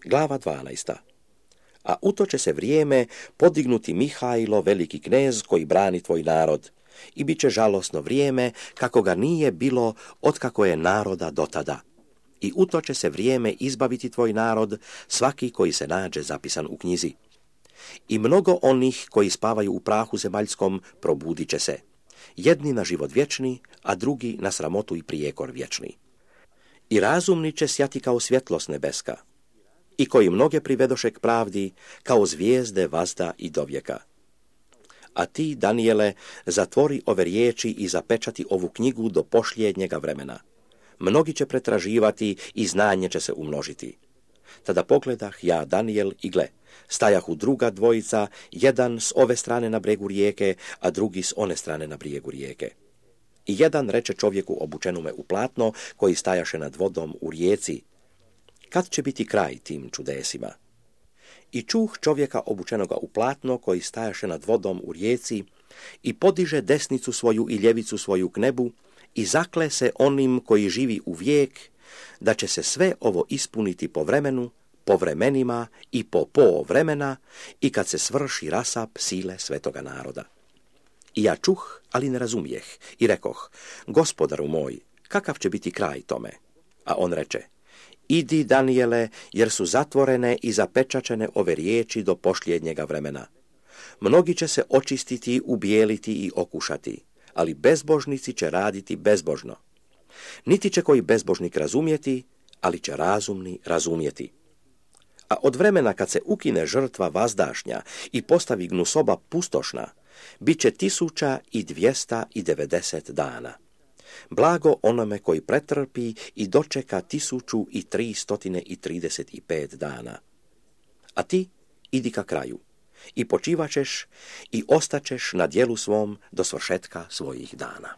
Glava 12. A u to će se vrijeme podignuti Mihajlo, veliki knez koji brani tvoj narod, i bit će žalosno vrijeme kako ga nije bilo otkako je naroda do tada. I u to će se vrijeme izbaviti tvoj narod, svaki koji se nađe zapisan u knjizi. I mnogo onih koji spavaju u prahu zemaljskom probudit će se, jedni na život vječni, a drugi na sramotu i prijekor vječni. I razumni će sjati kao svjetlost nebeska, i koji mnoge privedoše k pravdi, kao zvijezde vazda i dovijeka. A ti, Danijele, zatvori ove riječi i zapečati ovu knjigu do posljednjega vremena. Mnogi će pretraživati i znanje će se umnožiti. Tada pogledah ja, Danijel, i gle, stajahu druga dvojica, jedan s ove strane na bregu rijeke, a drugi s one strane na brijegu rijeke. I jedan reče čovjeku obučenume u platno, koji stajaše nad vodom u rijeci: kad će biti kraj tim čudesima? I čuh čovjeka obučenoga u platno, koji stajaše nad vodom u rijeci, i podiže desnicu svoju i ljevicu svoju k nebu, i zakle se onim koji živi u vijek, da će se sve ovo ispuniti po vremenu, po vremenima i po vremena, i kad se svrši rasap sile svetoga naroda. I ja čuh, ali ne razumijeh, i rekoh: Gospodaru moj, kakav će biti kraj tome? A on reče: idi, Danijele, jer su zatvorene i zapečačene ove riječi do posljednjega vremena. Mnogi će se očistiti, ubijeliti i okušati, ali bezbožnici će raditi bezbožno. Niti će koji bezbožnik razumjeti, ali će razumni razumjeti. A od vremena kad se ukine žrtva vazdašnja i postavi gnusoba pustošna, bit će 1290 dana. Blago onome koji pretrpi i dočeka 1335 dana. A ti idi ka kraju i počivaćeš i ostaćeš na djelu svom do svršetka svojih dana.